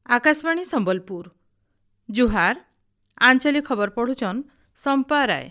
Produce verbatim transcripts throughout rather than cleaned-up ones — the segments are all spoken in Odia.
ଆକାଶବାଣୀ ସମ୍ବଲପୁର ଜୁହାର ଆଞ୍ଚଳିକ ଖବର ପଢ଼ୁଛନ୍ ସମ୍ପା ରାୟ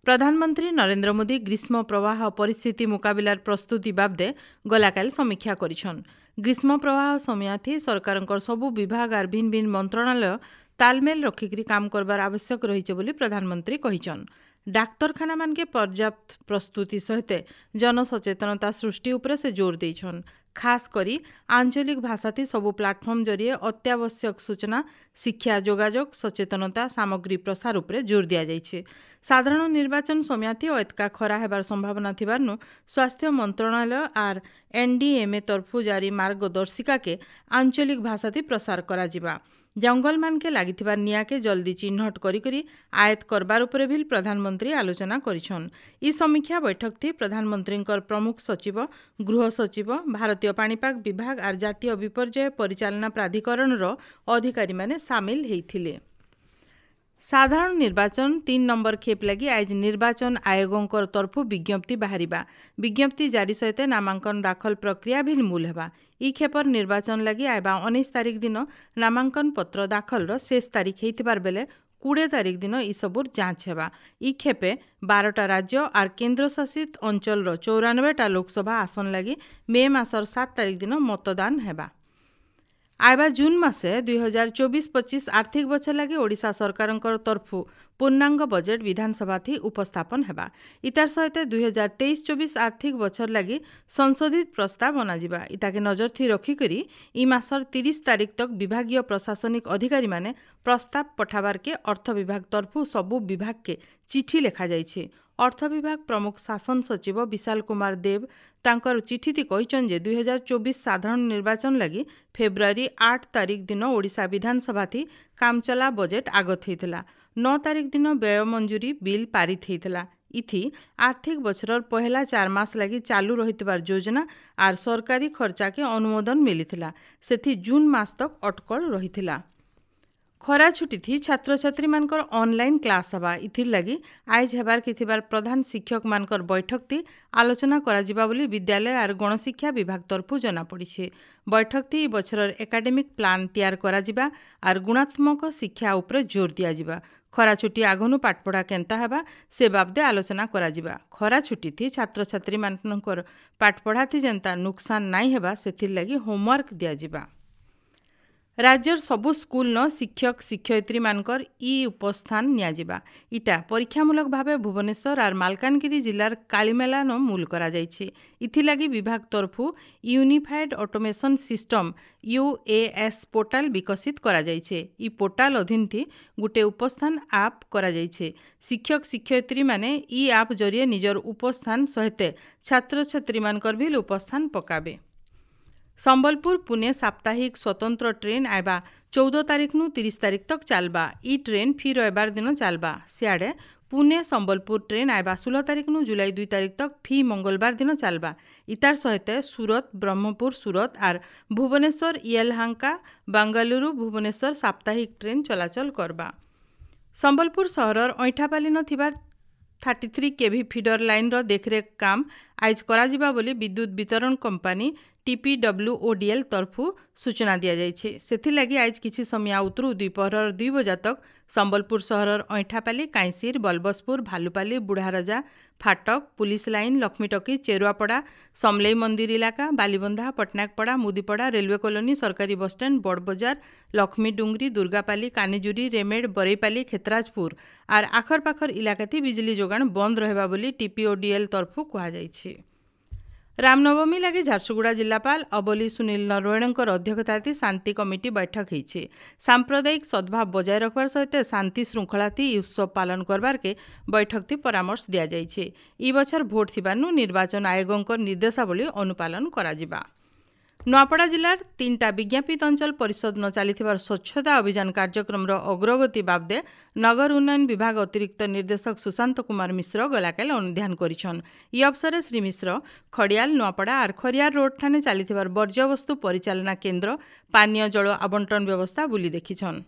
ପ୍ରଧାନମନ୍ତ୍ରୀ ନରେନ୍ଦ୍ର ମୋଦି ଗ୍ରୀଷ୍ମ ପ୍ରବାହ ପରିସ୍ଥିତି ମୁକାବିଲାର ପ୍ରସ୍ତୁତି ବାବଦେ ଗଲାକାଲି ସମୀକ୍ଷା କରିଛନ୍ ଗ୍ରୀଷ୍ମ ପ୍ରବାହ ସମୟାଥି ସରକାରଙ୍କର ସବୁ ବିଭାଗ ଆର୍ ଭିନ୍ ଭିନ୍ ମନ୍ତ୍ରଣାଳୟ ତାଲମେଲ ରଖିକରି କାମ କରବାର ଆବଶ୍ୟକ ରହିছে ବୋଲି ପ୍ରଧାନମନ୍ତ୍ରୀ କହିଛନ୍ ଡାକ୍ତରଖାନାମାନକେ ପର୍ଯ୍ୟାପ୍ତ ପ୍ରସ୍ତୁତି ସହିତ ଜନସଚେତନତା ସୃଷ୍ଟି ଉପରେ ସେ ଜୋର ଦେଇଛନ୍ ଖାସ୍ କରି ଆଞ୍ଚଳିକ ଭାଷାଥି ସବୁ ପ୍ଲାଟଫର୍ମ ଜରିଏ ଅତ୍ୟାବଶ୍ୟକ ସୂଚନା ଶିକ୍ଷା ଯୋଗାଯୋଗ ସଚେତନତା ସାମଗ୍ରୀ ପ୍ରସାର ଉପରେ ଜୋର ଦିଆଯାଇଛି ସାଧାରଣ ନିର୍ବାଚନ ସମୟାଥି ଓ ଏତକା ଖରା ହେବାର ସମ୍ଭାବନା ଥିବାରୁ ସ୍ୱାସ୍ଥ୍ୟ ମନ୍ତ୍ରଣାଳୟ ଆର୍ ଏନ୍ଡିଏମ୍ଏ ତରଫୁ ଜାରି ମାର୍ଗଦର୍ଶିକାକେ ଆଞ୍ଚଳିକ ଭାଷାଥି ପ୍ରସାର କରାଯିବା ଜଙ୍ଗଲମାନକେ ଲାଗିଥିବା ନିଆଁକେ ଜଲ୍ଦି ଚିହ୍ନଟ କରିକରି ଆୟତ୍ତ କରବାର ଉପରେ ବି ପ୍ରଧାନମନ୍ତ୍ରୀ ଆଲୋଚନା କରିଛନ୍ ଇ ସମୀକ୍ଷା ବୈଠକଥି ପ୍ରଧାନମନ୍ତ୍ରୀଙ୍କର ପ୍ରମୁଖ ସଚିବ ଗୃହ ସଚିବ ଭାରତୀୟ ପାଣିପାଗ ବିଭାଗ ଆର୍ ଜାତୀୟ ବିପର୍ଯ୍ୟୟ ପରିଚାଳନା ପ୍ରାଧିକରଣର ଅଧିକାରୀମାନେ ସାମିଲ ହେଇଥିଲେ ସାଧାରଣ ନିର୍ବାଚନ ତିନ୍ ନମ୍ବର ଖେପ୍ ଲାଗି ଆଜି ନିର୍ବାଚନ ଆୟୋଗଙ୍କର ତରଫୁ ବିଜ୍ଞପ୍ତି ବାହାରିବା ବିଜ୍ଞପ୍ତି ଜାରି ସହିତ ନାମାଙ୍କନ ଦାଖଲ ପ୍ରକ୍ରିୟା ବି ମୂଲ ହେବା ଇ ଖେପର ନିର୍ବାଚନ ଲାଗି ଆଇବା ଉଣେଇଶ ତାରିଖ ଦିନ ନାମାଙ୍କନ ପତ୍ର ଦାଖଲର ଶେଷ ତାରିଖ ହେଇଥିବାର ବେଲେ କୋଡ଼ିଏ ତାରିଖ ଦିନ ଇସବୁର ଯାଞ୍ଚ ହେବା ଇ ଖେପେ ବାରଟା ରାଜ୍ୟ ଆର୍ କେନ୍ଦ୍ରଶାସିତ ଅଞ୍ଚଳର ଚଉରାନବେଟା ଲୋକସଭା ଆସନ ଲାଗି ମେ ମାସର ସାତ ତାରିଖ ଦିନ ମତଦାନ ହେବା ଆଇବା ଜୁନ୍ ମାସେ ଦୁଇ ହଜାର ଚବିଶ ପଚିଶ ଆର୍ଥିକ ବଛର ଲାଗି ଓଡ଼ିଶା ସରକାରଙ୍କର ତରଫୁ ପୂର୍ଣ୍ଣାଙ୍ଗ ବଜେଟ୍ ବିଧାନସଭାଥି ଉପସ୍ଥାପନ ହେବା ଇତାର ସହିତ ଦୁଇ ହଜାର ତେଇଶ ଚବିଶ ଆର୍ଥିକ ବଛର ଲାଗି ସଂଶୋଧିତ ପ୍ରସ୍ତାବ ଅଣାଯିବା ଇତାକେ ନଜରଥି ରଖିକରି ଇ ମାସର ତିରିଶ ତାରିଖ ତକ୍ ବିଭାଗୀୟ ପ୍ରଶାସନିକ ଅଧିକାରୀମାନେ ପ୍ରସ୍ତାବ ପଠାବାରକେ ଅର୍ଥ ବିଭାଗ ତରଫୁ ସବୁ ବିଭାଗକେ ଚିଠି ଲେଖାଯାଇଛି ଅର୍ଥ ବିଭାଗ ପ୍ରମୁଖ ଶାସନ ସଚିବ ବିଶାଲ କୁମାର ଦେବ ତାଙ୍କର ଚିଠିଥି କହିଛନ୍ ଯେ ଦୁଇ ହଜାର ଚବିଶ ସାଧାରଣ ନିର୍ବାଚନ ଲାଗି ଫେବୃଆରୀ ଆଠ ତାରିଖ ଦିନ ଓଡ଼ିଶା ବିଧାନସଭାଥି କାମଚଲା ବଜେଟ୍ ଆଗତ ହେଇଥିଲା ନଅ ତାରିଖ ଦିନ ବ୍ୟୟ ମଞ୍ଜୁରୀ ବିଲ୍ ପାରିତ ହେଇଥିଲା ଇଥି ଆର୍ଥିକ ବଛରର ପହେଲା ଚାର ମାସ ଲାଗି ଚାଲୁ ରହିଥିବାର ଯୋଜନା ଆର୍ ସରକାରୀ ଖର୍ଚ୍ଚାକେ ଅନୁମୋଦନ ମିଳିଥିଲା ସେଥି ଜୁନ୍ ମାସ ତକ୍ ଅଟକଳ ରହିଥିଲା ଖରା ଛୁଟିଥି ଛାତ୍ରଛାତ୍ରୀମାନଙ୍କର ଅନଲାଇନ୍ କ୍ଲାସ୍ ହେବା ଇଥିର୍ ଲାଗି ଆଇଜ୍ ହେବାର୍ ଥିବାର ପ୍ରଧାନ ଶିକ୍ଷକମାନଙ୍କର ବୈଠକଥି ଆଲୋଚନା କରାଯିବା ବୋଲି ବିଦ୍ୟାଳୟ ଆର୍ ଗଣଶିକ୍ଷା ବିଭାଗ ତରଫୁ ଜଣାପଡ଼ିছে ବୈଠକଥି ଇ ବଛରର ଏକାଡେମିକ୍ ପ୍ଲାନ୍ ତିଆର କରାଯିବା ଆର୍ ଗୁଣାତ୍ମକ ଶିକ୍ଷା ଉପରେ ଜୋର ଦିଆଯିବା ଖରା ଛୁଟି ଆଗନୁ ପାଠପଢ଼ା କେନ୍ତା ହେବା ସେ ବାବଦେ ଆଲୋଚନା କରାଯିବା ଖରା ଛୁଟିଥି ଛାତ୍ରଛାତ୍ରୀମାନଙ୍କର ପାଠପଢ଼ାଥି ଯେନ୍ତା ନୁକସାନ ନାଇଁ ହେବା ସେଥିର୍ଲାଗି ହୋମୱାର୍କ ଦିଆଯିବା ରାଜ୍ୟର ସବୁ ସ୍କୁଲନ ଶିକ୍ଷକ ଶିକ୍ଷୟିତ୍ରୀମାନଙ୍କର ଇ ଉପସ୍ଥାନ ନିଆଯିବା ଇଟା ପରୀକ୍ଷାମୂଳକ ଭାବେ ଭୁବନେଶ୍ୱର ଆର୍ ମାଲକାନଗିରି ଜିଲ୍ଲାର କାଳିମେଲାନ ମୂଲ କରାଯାଇଛି ଇଥିଲାଗି ବିଭାଗ ତରଫୁ unified automation system UAS portal ବିକଶିତ କରାଯାଇଛି ଇ ପୋର୍ଟାଲ ଅଧୀନଥି ଗୁଟେ ଉପସ୍ଥାନ ଆପ୍ କରାଯାଇଛି ଶିକ୍ଷକ ଶିକ୍ଷୟିତ୍ରୀମାନେ ଇ ଆପ୍ ଜରିଏ ନିଜର ଉପସ୍ଥାନ ସହିତ ଛାତ୍ରଛାତ୍ରୀମାନଙ୍କର ବି ଉପସ୍ଥାନ ପକାବେ ସମ୍ବଲପୁର ପୁନେ ସାପ୍ତାହିକ ସ୍ୱତନ୍ତ୍ର ଟ୍ରେନ୍ ଆଇବା ଚଉଦ ତାରିଖନୁ ତିରିଶ ତାରିଖ ତକ୍ ଚାଲବା ଇ ଟ୍ରେନ୍ ଫି ରବିବାର ଦିନ ଚାଲବା ସିଆଡ଼େ ପୁନେ ସମ୍ବଲପୁର ଟ୍ରେନ୍ ଆଇବା ଷୋହଳ ତାରିଖନୁ ଜୁଲାଇ ଦୁଇ ତାରିଖ ତକ୍ ଫି ମଙ୍ଗଳବାର ଦିନ ଚାଲବା ଇତାର ସହିତ ସୁରତ ବ୍ରହ୍ମପୁର ସୁରତ ଆର୍ ଭୁବନେଶ୍ୱର ୟେଲହାଙ୍କା ବାଙ୍ଗାଲୁରୁ ଭୁବନେଶ୍ୱର ସାପ୍ତାହିକ ଟ୍ରେନ୍ ଚଳାଚଳ କରବା ସମ୍ବଲପୁର ସହରର ଅଇଁଠାପାଲିନ ଥିବାର ଥାର୍ଟି ଥ୍ରୀ କେଭି ଫିଡର ଲାଇନ୍ର ଦେଖରେଖ କାମ ଆଇଜ୍ କରାଯିବା ବୋଲି ବିଦ୍ୟୁତ ବିତରଣ କମ୍ପାନୀ ଟିପିଡବ୍ଲ୍ୟୁଓଡିଏଲ୍ ତରଫୁ ସୂଚନା ଦିଆଯାଇଛି ସେଥିଲାଗି ଆଇଜ୍ କିଛି ସମୟ ଉତରୁ ଦ୍ୱିପହରର ଦୁଇ ବଜା ତକ୍ ସମ୍ବଲପୁର ସହରର ଅଇଁଠାପାଲି କାଇଁସିର ବଲବସପୁର ଭାଲୁପାଲି ବୁଢ଼ାରଜା ଫାଟକ ପୁଲିସ ଲାଇନ୍ ଲକ୍ଷ୍ମୀଟକି ଚେରୁଆପଡ଼ା ସମଲେଇ ମନ୍ଦିର ଇଲାକା ବାଲିବନ୍ଧା ପଟ୍ଟନାୟକପଡ଼ା ମୁଦିପଡ଼ା ରେଲୱେ କଲୋନୀ ସରକାରୀ ବସଷ୍ଟାଣ୍ଡ ବଡ଼ବଜାର ଲକ୍ଷ୍ମୀଡୁଙ୍ଗରି ଦୁର୍ଗାପାଲି କାନିଜୁରି ରେମେଡ଼ ବରେଇପାଲି ଖେତରାଜପୁର ଆର୍ ଆଖରପାଖର ଇଲାକାଥି ବିଜୁଳି ଯୋଗାଣ ବନ୍ଦ ରହିବା ବୋଲି ଟିପିଓଡିଏଲ୍ ତରଫୁ କୁହାଯାଇଛି ରାମନବମୀ ଲାଗି ଝାରସୁଗୁଡ଼ା ଜିଲ୍ଲାପାଳ ଅବଲି ସୁନୀଲ ନରୱଣେଙ୍କର ଅଧ୍ୟକ୍ଷତାଥି ଶାନ୍ତି କମିଟି ବୈଠକ ହେଇଛି ସାମ୍ପ୍ରଦାୟିକ ସଦ୍ଭାବ ବଜାୟ ରଖବାର ସହିତ ଶାନ୍ତି ଶୃଙ୍ଖଳାଥି ଇ ଉତ୍ସବ ପାଳନ କରବାରକେ ବୈଠକଥି ପରାମର୍ଶ ଦିଆଯାଇଛି ଇ ବଛର ଭୋଟ ଥିବାନୁ ନିର୍ବାଚନ ଆୟୋଗଙ୍କ ନିର୍ଦ୍ଦେଶାବଳୀ ଅନୁପାଳନ କରାଯିବା ନୂଆପଡ଼ା ଜିଲ୍ଲାର ତିନିଟା ବିଜ୍ଞାପିତ ଅଞ୍ଚଳ ପରିଷଦ ନ ଚାଲିଥିବାର ସ୍ୱଚ୍ଛତା ଅଭିଯାନ କାର୍ଯ୍ୟକ୍ରମର ଅଗ୍ରଗତି ବାବଦେ ନଗର ଉନ୍ନୟନ ବିଭାଗ ଅତିରିକ୍ତ ନିର୍ଦ୍ଦେଶକ ସୁଶାନ୍ତ କୁମାର ମିଶ୍ର ଗଲାକାଲି ଅନୁଧ୍ୟାନ କରିଛନ୍ ଇ ଅବସରରେ ଶ୍ରୀ ମିଶ୍ର ଖଡ଼ିଆଲ ନୂଆପଡ଼ା ଆର୍ ଖରିଆର ରୋଡ୍ ଠାନେ ଚାଲିଥିବାର ବର୍ଜ୍ୟବସ୍ତୁ ପରିଚାଳନା କେନ୍ଦ୍ର ପାନୀୟ ଜଳ ଆବଣ୍ଟନ ବ୍ୟବସ୍ଥା ବୁଲି ଦେଖିଛନ୍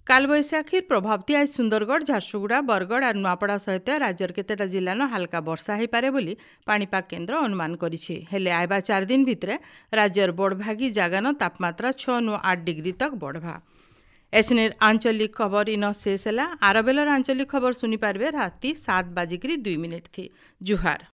କାଲବୈଶାଖୀର ପ୍ରଭାବତି ଆଜ ସୁନ୍ଦରଗଡ଼, ଝାରସୁଗୁଡ଼ା, ବରଗଡ଼ ଆର୍ ନୂଆପଡ଼ା ସହିତ ରାଜ୍ୟର କେତେଟା ଜିଲ୍ଲାନ ହାଲକା ବର୍ଷା ହେଇପାରେ ବୋଲି ପାଣିପାଗ କେନ୍ଦ୍ର ଅନୁମାନ କରିଛି। ହେଲେ ଆଇବା ଚାରି ଦିନ ଭିତରେ ରାଜ୍ୟର ବଡ଼ଭାଗୀ ଜାଗାନ ତାପମାତ୍ରା ଛଅ ନୁ ଆଠ ଡିଗ୍ରୀ ତକ୍ ବଢ଼ବା। ଏଛନେର ଆଞ୍ଚଳିକ ଖବର ଇନ ଶେଷ ହେଲା। ଆର ବେଲର ଆଞ୍ଚଳିକ ଖବର ଶୁଣିପାରିବେ ରାତି ସାତ ବାଜିକିରି ଦୁଇ ମିନିଟ୍ ଥି। ଜୁହାର।